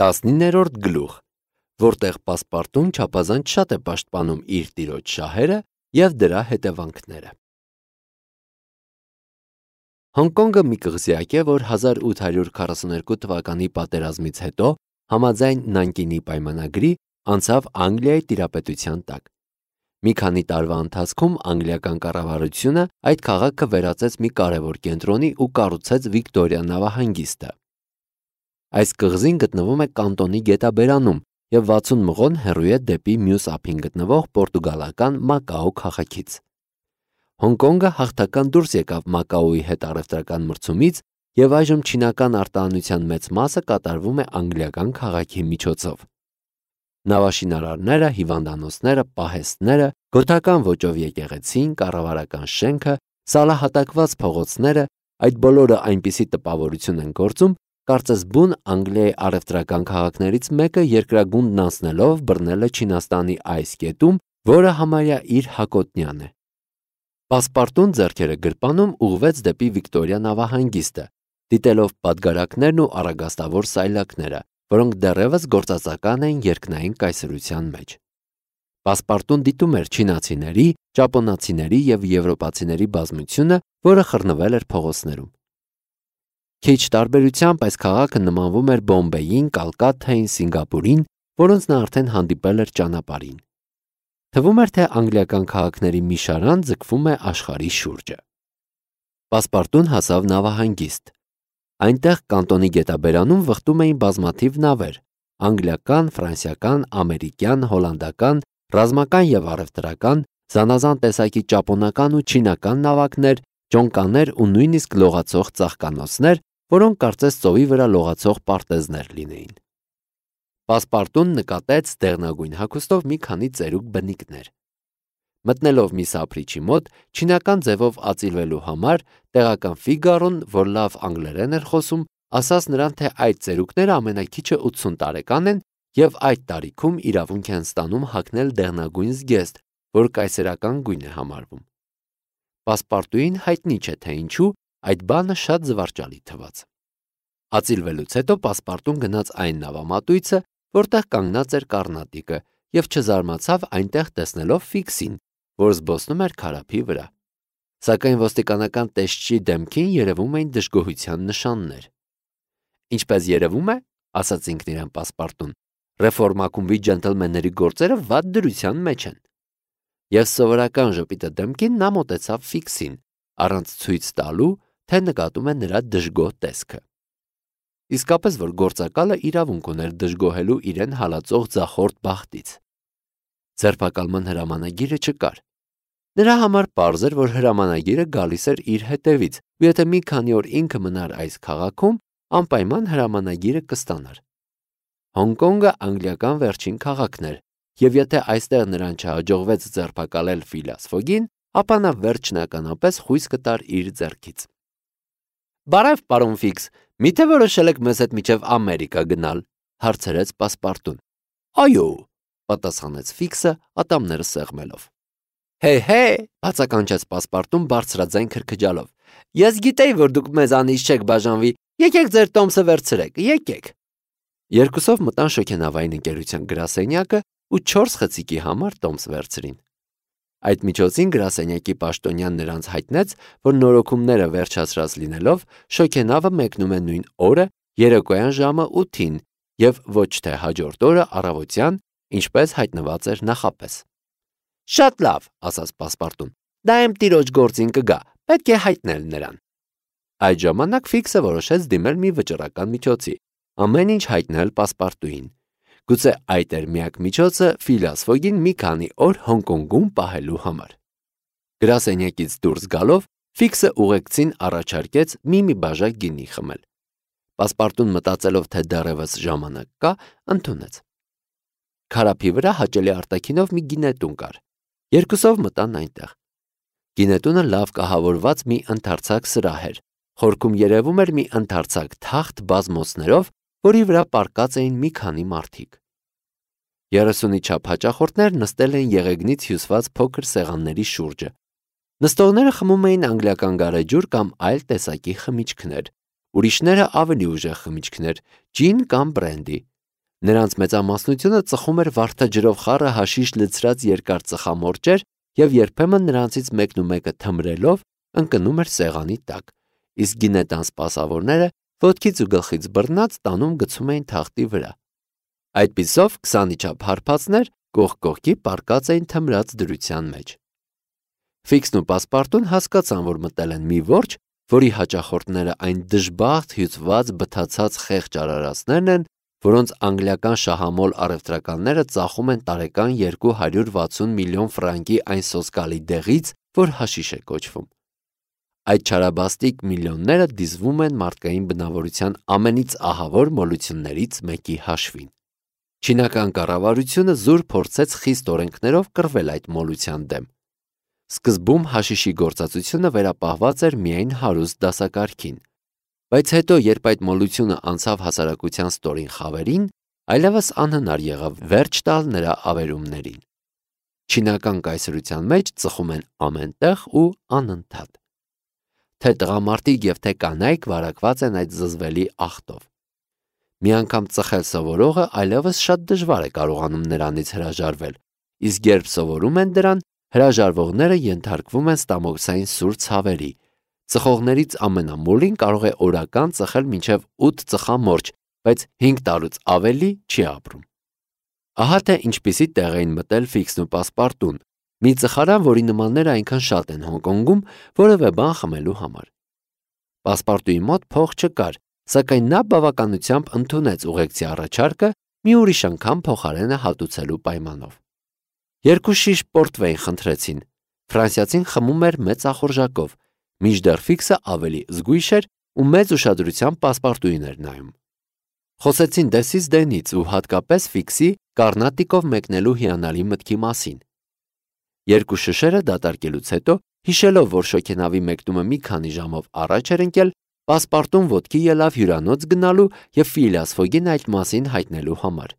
19-րդ գլուխ, որտեղ պասպարտուն չափազանց շատ է պաշտպանում իր տիրոջ շահերը և դրա հետևանքները։ Հոնկոնգը մի կղզյակ է, որ 1842 թվականի պատերազմից հետո, համաձայն Նանկինի պայմանագրի, անցավ Անգլիայի տիրապետության տակ։ Մի քանի տարվա ընթացքում անգլիական կառավարությունը այդ քաղաքը վերածեց մի կարևոր կենտրոնի ու կառուցեց Վիկտորիա նավահանգիստը։ Այս կղզին գտնվում է կանտոնի գետաբերանում և 60 մղոն հեռու է դեպի մյուս ափին գտնվող պորտուգալական Մակաո քաղաքից։ Հոնկոնգը հաղթական դուրս եկավ Մակաոյի հետ առևտրական մրցումից և այժմ չինական արտահանության մեծ մասը կատարվում է անգլիական քաղաքի միջոցով։ Նավաշինարարները, հիվանդանոցները, պահեստները, գոթական ոճով եկեղեցին, կառավարական շենքը, սալահատակված փողոցները, այդ բոլորը այնպիսի տպավորություն են գործում, կարծես բուն Անգլիայի առևտրական քաղաքներից մեկը երկրագունդն անցնելով բռնել է Չինաստանի այս կետում, որը համարյա իր հակոտնյան է։ Պասպարտուն ձեռքերը գրպանում ուղղվեց դեպի Վիկտորիա նավահանգիստը, դիտելով պատգարակներն ու առագաստավոր սայլակները, որոնք դեռևս գործածական էին երկնային կայսրության մեջ։ Պասպարտուն դիտում էր չինացիների, ճապոնացիների և եվրոպացիների բազմությունը, որը խռնվել էր փողոցներում։ Քիչ տարբերությամբ այս քաղաքը նմանվում էր Բոմբեյին, Կալկաթային, Սինգապուրին, որոնց նա արդեն հանդիպել էր ճանապարհին։ Թվում էր, թե անգլիական քաղաքների մի շարան ձգվում է աշխարհի շուրջը։ Պասպարտուն հասավ նավահանգիստ։ Այնտեղ կանտոնի գետաբերանում վխտում էին բազմաթիվ նավեր՝ անգլիական, ֆրանսիական, ամերիկյան, հոլանդական, ռազմական և առևտրական, զանազան տեսակի ճապոնական ու չինական նավակներ, ճոնկաներ ու նույնիսկ լողացող ծաղկանոցներ, որոնք կարծես ծովի վրա լողացող պարտեզներ լինեին։ Պասպարտուն նկատեց դեղնագույն հագուստով մի քանի ծերուկ բնիկներ։ Մտնելով մի սափրիչի մոտ, չինական ձևով ածիլվելու համար, տեղական Ֆիգարոն, որ լավ անգլերեն էր խոսում, ասաց նրան, թե այդ ծերուկները ամենաքիչը 80 տարեկան են և այդ տարիքում իրավունք են ստանում հագնել դեղնագույն զգեստ, որ կայսերական գույն է համարվում։ Պասպարտուին հայտնի չէ, թե ինչու այդ բանը շատ զվարճալի թվաց։ Ածիլվելուց հետո Պասպարտուն գնաց այն նավամատույցը, որտեղ կանգնած էր կառնատիկը, և չզարմացավ այնտեղ տեսնելով Ֆիքսին, որ զբոսնում էր քարափի վրա։ Սակայն ոստիկանական տեսչի դեմքին երևում էին դժգոհության նշաններ։ Ինչպես երևում է, ասաց ինքն իրեն Պասպարտուն, ռեֆորմակումբի ջենտլմենների գործերը վատ դրության մեջ են։ Եվ սովորական ժպիտը դեմքին նա մոտեցավ Ֆիքսին, առանց ցույց տալու, թե նկատում է նրա դժգոհ տեսքը։ Իսկապես, որ գործակալը իրավունք ուներ դժգոհելու իրեն հալածող ձախորդ բախտից։ Ձերբակալման հրամանագիրը չկար։ Նրա համար պարզ էր, որ հրամանագիրը գալիս էր իր հետևից, ու եթե մի քանի օր ինքը մնար այս քաղաքում, անպայման հրամանագիրը կստանար։ Հոնկոնգը անգլիական վերջին քաղաքն էր, և եթե այստեղ նրան չհաջողվեց ձերբակալել Ֆիլիաս Ֆոգին, ապա նա վերջնականապես խույս կտար իր ձեռքից։ «Բարև, պարոն Ֆիքս, միթե որոշել եք մեզ հետ մինչև Ամերիկա գնալ», հարցրեց Պասպարտուն։ «Այո», պատասխանեց Ֆիքսը, ատամները սեղմելով։ «Հե, բացականչեց Պասպարտուն բարձրաձայն քրքջալով։ Ես գիտեի, որ դուք մեզանից չեք բաժանվի, եկեք ձեր տոմսը վերցրեք, եկեք»։ Երկուսով մտան շոգենավային ընկերության գրասենյակը ու 4 խցիկի համար տոմս վերցրին։ Այդ միջոցին գրասենյակի պաշտոնյան նրանց հայտնեց, որ նորոգումները վերջացրած լինելով, շոգենավը մեկնում է նույն օրը, երեկոյան ժամը 8-ին և ոչ թե հաջորդ օրը առավոտյան, ինչպես հայտնված էր նախապես։ «Շատ լավ», ասաց Պասպարտուն, «դա իմ տիրոջ գործին կգա, պետք է հայտնել նրան»։ Այդ ժամանակ Ֆիքսը որոշեց դիմել մի վճռական միջոցի, ամեն ինչ հայտնել Պասպարտուին։ Գուցե այդ էր միակ միջոցը Ֆիլիաս Ֆոգին մի քանի օր Հոնկոնգում պահելու համար։ Գրասենյակից դուրս գալով, Ֆիքսը ուղեկցին առաջարկեց մի բաժակ գինի խմել։ Պասպարտուն մտածելով, թե դեռևս ժամանակ կա, ընդունեց։ Քարափի վրա հաճելի արտաքինով մի գինետուն կար։ Երկուսով մտան այնտեղ։ Գինետունը լավ կահավորված մի ընդարձակ սրահ էր։ Խորքում երևում էր մի ընդարձակ թախտ բազմոցներով, որի վրա պառկած էին մի քանի մարդիկ։ 30-ի չափ հաճախորդներ նստել էին եղեգնից հյուսված փոքր սեղանների շուրջը։ Նստողները խմում էին անգլիական գարեջուր կամ այլ տեսակի խմիչքներ, ուրիշները ավելի ուժեղ խմիչքներ, ջին կամ բրենդի, Նրանց մեծամասնությունը ծխում էր վարդաջրով խառը հաշիշ լցրած երկար ծխամորճեր և երբեմն նրանցից մեկն ու մեկը թմրելով ընկնում էր սեղանի տակ, իսկ գինետան սպասավորները ոտքից ու գլխից բռնած տանում գցում էին թախտի վրա։ Այդպիսով 20-ի չափ հարբածներ կողք կողքի պառկած էին թմրած դրության մեջ։ Ֆիքսն ու Պասպարտուն հասկացան, որ մտել են մի որջը, որի հաճախորդները այն դժբախտ հյուծված բթացած խեղճ արարածներն են, որոնց անգլիական շահամոլ առևտրականները ծախում են տարեկան 260 միլիոն ֆրանկի այն սոսկալի դեղից, որ հաշիշ է կոչվում։ Այդ չարաբաստիկ միլիոնները դիզվում են մարդկային բնավորության ամենից ահավոր մոլություններից մեկի հաշվին։ Չինական կառավարությունը զուր փորձեց խիստ օրենքներով կռվել այդ մոլության դեմ։ Սկզբում հաշիշի գործածությունը վերապահված էր միայն հարուստ դասակարգին, բայց հետո, երբ այդ մոլությունը անցավ հասարակության ստորին խավերին, այլևս անհնար եղավ վերջ տալ նրա ավերումներին։ Չինական կայսրության մեջ ծխում են ամենտեղ ու անընդհատ։ Թե տղամարդիկ և թե կանայք վարակված են այդ զզվելի աղտով։ Մի անգամ ծխել սովորողը այլևս շատ դժվար է կարողանում նրանից հրաժարվել, իսկ երբ սովորում են դրան, հրաժարվողները ենթարկվում են ստամոքսային սուր ցավերի։ Ծխողներից ամենամոլին կարող է օրական ծխել մինչև 8 ծխամորճ, բայց 5 տարուց ավելի չի ապրում։ Ահա թե ինչպիսի տեղ էին մտել Ֆիքսն ու Պասպարտուն, մի ծխարան, որի նմանները այնքան շատ են Հոնկոնգում, որևէ բան խմելու համար։ Պասպարտուի մոտ փող չկար, սակայն նա բավականությամբ ընդունեց ուղեկցի առաջարկը մի ուրիշ անգամ փոխարենը հատուցելու պայմանով։ 2 շիշ պորտվեյն խնդրեցին։ Ֆրանսիացին խմում էր մեծ ախորժակով, մինչդեռ Ֆիքսը ավելի զգույշ էր ու մեծ ուշադրությամբ Պասպարտուին էր նայում։ Խոսեցին դեսից դենից ու հատկապես Ֆիքսի Կառնատիկով մեկնելու հիանալի մտքի մասին։ 2 շշերը դատարկելուց հետո, հիշելով, որ շոգենավի մեկնումը մի քանի ժամով առաջ էր ընկել, Պասպարտուն ոտքի ելավ հյուրանոց գնալու և Ֆիլիաս Ֆոգին այդ մասին հայտնելու համար։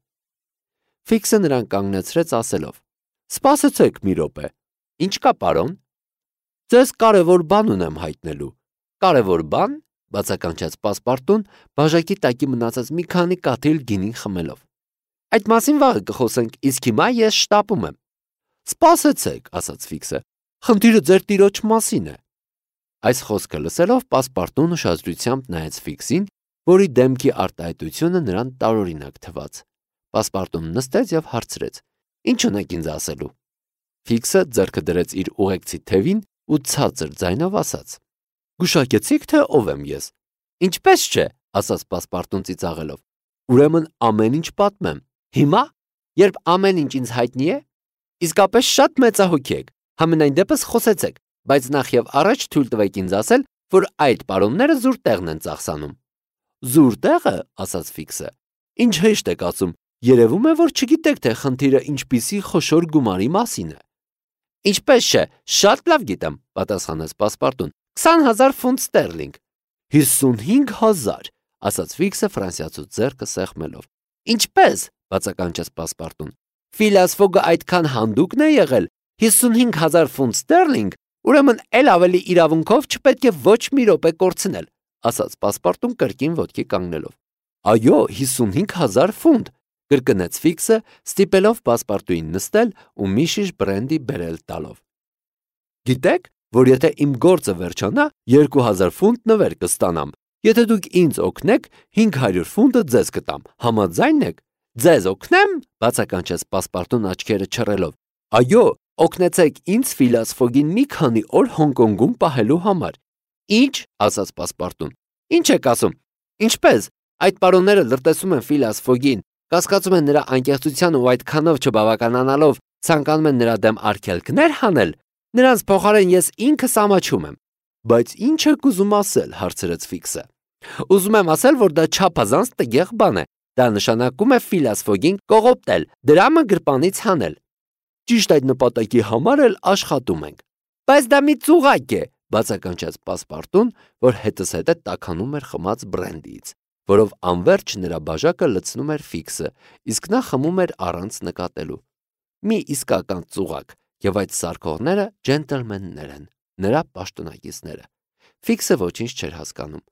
Ֆիքսը նրան կանգնեցրեց ասելով. «Սպասեցեք մի րոպե։ Ինչ կա, պարոն։ Ձեզ կարևոր բան ունեմ հայտնելու»։ «Կարևոր բան», բացականչեց Պասպարտուն, բաժակի տակի մնացած մի քանի կաթիլ գինին խմելով։ «Այդ մասին վաղը կխոսենք, իսկ հիմա ես շտապում եմ»։ «Սպասեցեք», ասաց Ֆիքսը, «խնդիրը ձեր տիրոջ մասին է»։ Այս խոսքը լսելով Պասպարտուն ուշադրությամբ նայեց Ֆիքսին, որի դեմքի արտահայտությունը նրան տարօրինակ թվաց։ Պասպարտուն նստեց և հարցրեց. «Ինչ ունեք ինձ ասելու»։ Ֆիքսը ձեռքը դրեց իր ուղեկցի թևին ու ցածր ձայնով ասաց. «Գուշակեցիք, թե ով եմ ես»։ «Ինչպես չէ», ասաց Պասպարտուն ծիծաղելով։ «Ուրեմն ամեն ինչ պատմեմ։ Հիմա, երբ ամեն ինչ ինձ հայտնի է, իսկապես շատ մեծահոգի եք, համենայն դեպս խոսեցեք, բայց նախ և առաջ թույլ տվեք ինձ ասել, որ այդ պարոնները զուր տեղն են ծախսանում»։ «Զուր տեղը», ասաց Ֆիքսը, «ինչ հեշտ եք ասում, երևում է, որ չգիտեք, թե խնդիրը ինչպիսի խոշոր գումարի մասին է»։ «Ինչպես չէ, շատ լավ գիտեմ», պատասխանեց Պասպարտուն, 20,000 ֆունտ ստերլինգ։ 55,000, ասաց Ֆիքսը ֆրանսիացու ձեռքը սեղմելով։ «Ինչպես», բացականչեց Պասպարտուն, «Ֆիլիաս Ֆոգը այդքան հանդուկն է եղել, 55,000 ֆունտ ստերլինգ, ուրեմն էլ ավելի իրավունքով չպետք է ոչ մի րոպե կորցնել», ասաց Պասպարտուն կրկին ոտքի կանգնելով։ «Այո, 55,000 ֆունտ», կրկնեց Ֆիքսը, ստիպելով Պասպարտուին նստել ու մի շիշ բրենդի բերել տալով։ «Գիտեք, որ եթե իմ գործը վերջանա, 2,000 ֆունտ նվեր կստանամ, եթե դուք ինձ օգնեք, 500 ֆունտը ձեզ կտամ, համաձայն եք»։ «Ձեզ օգնեմ», բացականչեց Պասպարտուն աչքերը չռելով։ «Այո, օգնեցեք ինձ Ֆիլիաս Ֆոգին մի քանի օր Հոնկոնգում պահելու համար»։ «Ինչ», ասաց Պասպարտուն, «ինչ եք ասում։ Ինչպես, այդ պարոնները լրտեսում են Ֆիլիաս Ֆոգին, կասկածում են նրա անկեղծության ու այդքանով չբավականանալով ցանկանում են նրա դեմ արգելքներ հանել։ Նրանց փոխարեն ես ինքս ամաչում եմ»։ «Բայց ինչ եք ուզում ասել», հարցրեց Ֆիքսը։ «Ուզում եմ ասել, որ դա չափազանց տգեղ բան է։ Դա նշանակում է Ֆիլիաս Ֆոգին կողոպտել, դրամը գրպանից հանել։ Ճիշտ այդ նպատակի համար էլ աշխատում ենք»։ «Բայց դա մի ծուղակ է», բացականչեց Պասպարտուն, որ հետզհետե տաքանում էր խմած բրենդիից, որով անվերջ նրա բաժակը լցնում էր Ֆիքսը, իսկ նա խմում էր առանց նկատելու։ «Մի իսկական ծուղակ, և այդ սարքողները ջենտլմեններ են, նրա պաշտոնակիցները»։ Ֆիքսը ոչինչ չէր հասկանում։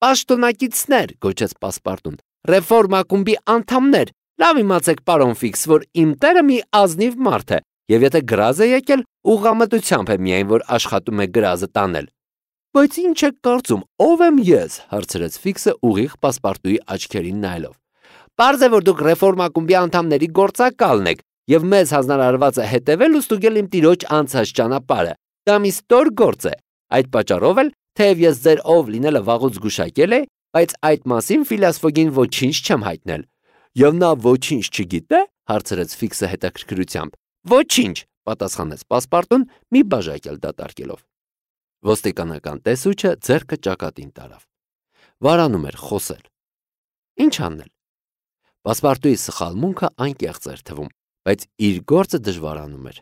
«Պաշտոնակիցներ», գոչեց Պասպարտուն, «ռեֆորմ ակումբի անդամներ, Լավ իմացեք, պարոն Ֆիքս, որ իմ տերը մի ազնիվ մարդ է, եւ եթե գրազ է եկել, ուղղամտությամբ է միայն, որ աշխատում է գրազը տանել։ Բայց ինչ եք կարծում, ով եմ ես, հարցրեց Ֆիքսը ուղիղ պասպարտուի աչքերին նայելով։ Պարզ է, որ դուք ռեֆորմ ակումբի անդամների գործակալն եք, եւ մեզ հանրարարված է հետևել ու ստուգել իմ տիրոջ անցած ճանապարհը։ Դա մի ստոր գործ է։ Այդ պատճառով էլ, թեև ես ձեր ով լինելը վաղուց զգուշակել է, բայց այդ մասին Ֆիլիաս Ֆոգին ոչինչ չեմ հայտնել։ Եվ նա ոչինչ չգիտե, հարցրեց Ֆիքսը հետաքրքրությամբ։ Ոչինչ, պատասխանեց պասպարտուն մի բաժակել դատարկելով։ Ոստիկանական տեսուչը ձեռքը ճակատին տարավ։ Վարանում էր խոսել։ Ինչ անել։ Պասպարտուի սխալմունքը անկեղծ էր թվում, բայց իր գործը դժվարանում էր։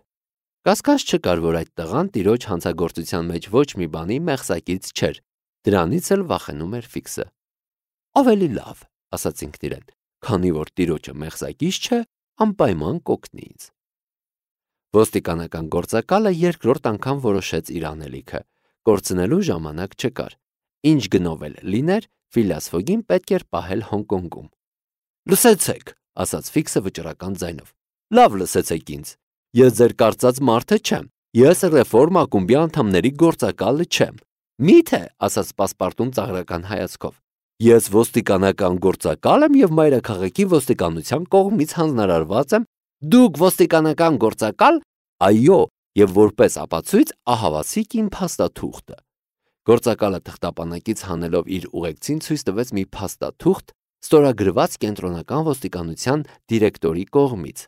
Կասկած չկար, որ այդ տղան տիրոջ հանցագործության մեջ ոչ մի բանի մեղսակից չէր, դրանից էլ վախենում էր Ֆիքսը։ Ավելի լավ, ասաց ինքն իրեն, քանի որ տիրոջը մեղսակից չէ, անպայման կօգնի ինձ։ Ոստիկանական գործակալը երկրորդ անգամ որոշեց իր անելիքը, կորցնելու ժամանակ չկար։ Ինչ գնով էլ լիներ, Ֆիլիաս Ֆոգին պետք էր պահել Հոնկոնգում։ Լսեցեք, ասաց Ֆիքսը վճռական ձայնով։ Լավ լսեցեք ինձ։ Ես ձեր կարծած մարդը չեմ։ Ես ռեֆորմ ակումբի անդամների գործակալը չեմ։ Միթե, ասաց պասպարտուն ծաղրական հայացքով։ Ես ոստիկանական գործակալ եմ եւ մայրաքաղաքի ոստիկանության կողմից հանձնարարված եմ։ Դուք ոստիկանական գործակալ։ Այո, եւ որպես ապացույց ահավասիկ իմ փաստաթուղթը։ Գործակալը թղթապանակից հանելով իր ուղեկցին ցույց տվեց մի փաստաթուղթ, ստորագրված կենտրոնական ոստիկանության դիրեկտորի կողմից։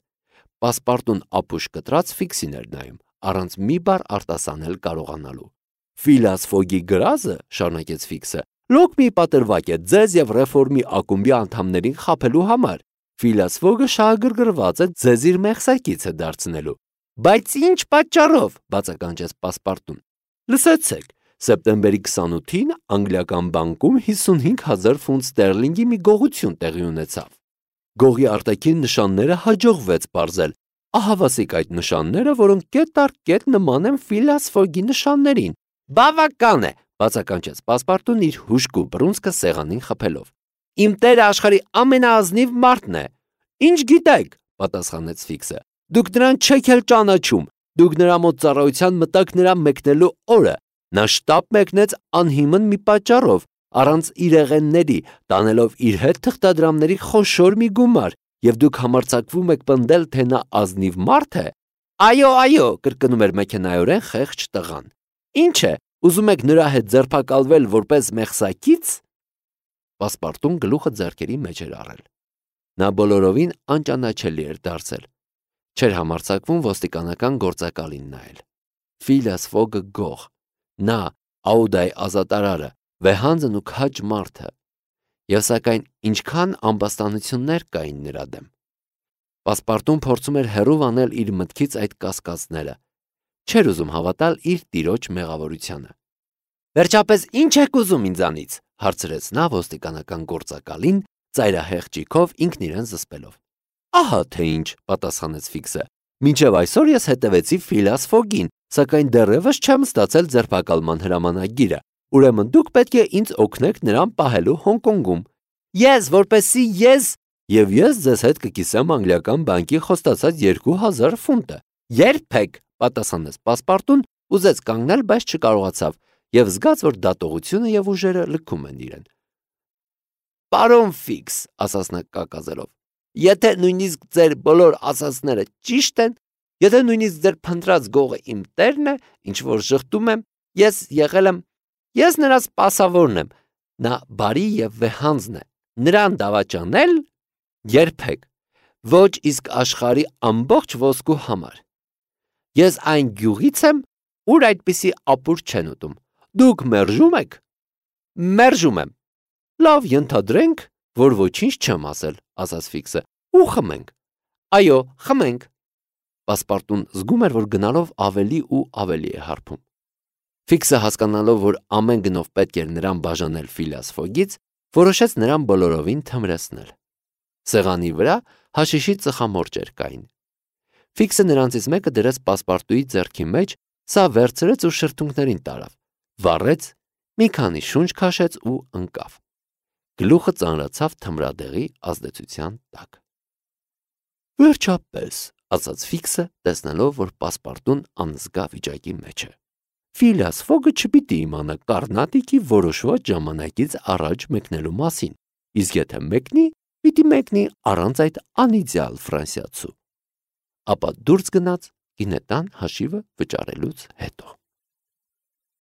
Պասպարտուն ապուշ կտրած Ֆիքսին էր նայում, առանց մի բառ արտասանել կարողանալու։ Ֆիլիաս Ֆոգի գրազը, շարունակեց Ֆիքսը, լոկ մի պատրվակ է ձեզ եւ ռեֆորմի ակումբի անդամներին խաբելու համար։ Ֆիլիաս Ֆոգը շահագրգռված է ձեզ իր մեղսակիցը դարձնելու։ Բայց ինչ պատճառով, բացականչեց պասպարտուն։ Լսեցեք, սեպտեմբերի 28-ին անգլիական բանկում 55,000 ֆունտ ստերլինգի մի գողություն տեղի ունեցավ։ Գողի արտաքին նշանները հաջողվեց պարզել։ Ահավասիկ այդ նշանները, որոնք կետ առ կետ նման են Ֆիլիաս Ֆոգի նշաններին։ Բավական է, բացականչեց պասպարտուն իր հուժկու բռունցքը սեղանին խփելով։ Իմ տերը աշխարհի ամենաազնիվ մարդն է։ Ինչ գիտեք, պատասխանեց Ֆիքսը։ Դուք նրան չեք էլ ճանաչում։ Դուք նրա մոտ ծառայության մտաք նրա մեկնելու օրը։ Նա շտապ մեկնեց անհիմն մի պատճառով, առանց իրեղենների, տանելով իր հետ թղթադրամների խոշոր մի գումար, եւ դուք համարձակվում եք պնդել, թե նա ազնիվ մարդ է։ Այո, կրկնում էր մեքենայորեն խեղճ տղան։ Ինչ է, ուզում եք նրա հետ ձերբակալվել որպես մեղսակից։ Պասպարտուն գլուխը ձեռքերի մեջ էր առել։ Նա բոլորովին անճանաչելի էր դարձել։ Չէր համարձակվում ոստիկանական գործակալին նայել։ Ֆիլիաս Ֆոգը գող, նա Աուդայի ազատարարը, վեհանձն ու քաջ մարդը։ Եվ սակայն ինչքան ամբաստանություններ կային նրա դեմ։ Պասպարտուն փորձում էր հեռու անել իր մտքից այդ կասկածները։ Չէր ուզում հավատալ իր տիրոջ մեղավորությանը։ Վերջապես ինչ եք ուզում ինձանից, հարցրեց նա ոստիկանական գործակալին, ծայրահեղ ճիգով ինքն իրեն զսպելով։ Ահա թե ինչ, պատասխանեց Ֆիքսը։ Մինչև այսօր ես հետևեցի Ֆիլիաս Ֆոգին, սակայն դեռևս չեմ ստացել ձերբակալման հրամանագիրը։ Ուրեմն դուք պետք է ինձ օգնեք նրան պահելու Հոնկոնգում։ Եվ ես ձեզ հետ կկիսեմ անգլիական բանկի խոստացած 2,000 ֆունտը։ Երբեք, պատասխանեց պասպարտուն, ուզեց կանգնել, բայց չկարողացավ, եւ զգաց, որ դատողությունը եւ ուժերը լքում են իրեն։ Պարոն Ֆիքս, ասաց նա կակազելով, եթե նույնիսկ ձեր բոլոր ասածները ճիշտ են, եթե նույնիսկ ձեր փնտրած գողը իմ տերն է, ինչ որ ժխտում եմ, ես նրա սպասավորն եմ, նա բարի եւ վեհանձն է, նրան դավաճանել երբեք, ոչ իսկ աշխարհի ամբողջ ոսկու համար։ Ես այն գյուղից եմ, ուր այդպիսի ապուր չեն ուտում։ Դուք մերժում եք։ Մերժում եմ։ Լավ, ենթադրենք, որ ոչինչ չեմ ասել, ասաց Ֆիքսը, ու խմենք։ Այո, խմենք։ Պասպարտուն զգում էր, որ գնալով ավելի ու ավելի է հարբում։ Ֆիքսը հասկանալով, որ ամեն գնով պետք էր նրան բաժանել Ֆիլիաս Ֆոգից, որոշեց նրան բոլորովին թմրեցնել։ Սեղանի վրա հաշիշի ծխամորճեր կային։ Ֆիքսը նրանցից մեկը դրեց պասպարտուի ձեռքի մեջ, սա վերցրեց ու շրթունքներին տարավ, վառեց, մի քանի շունչ քաշեց ու ընկավ։ Գլուխը ծանրացավ թմրադեղի ազդեցության տակ։ Վերջապես, ասաց Ֆիքսը, տեսնելով, որ պասպարտուն անզգա վիճակի մեջ է։ Ֆիլիաս Ֆոգը չպիտի իմանա Կարնատիկի որոշված ժամանակից առաջ մեկնելու մասին, իսկ եթե մեկնի, պիտի մեկնի առանց այդ անիդեալ ֆրանսիացու։ Ապա դուրս գնաց գինետան հաշիվը վճարելուց հետո։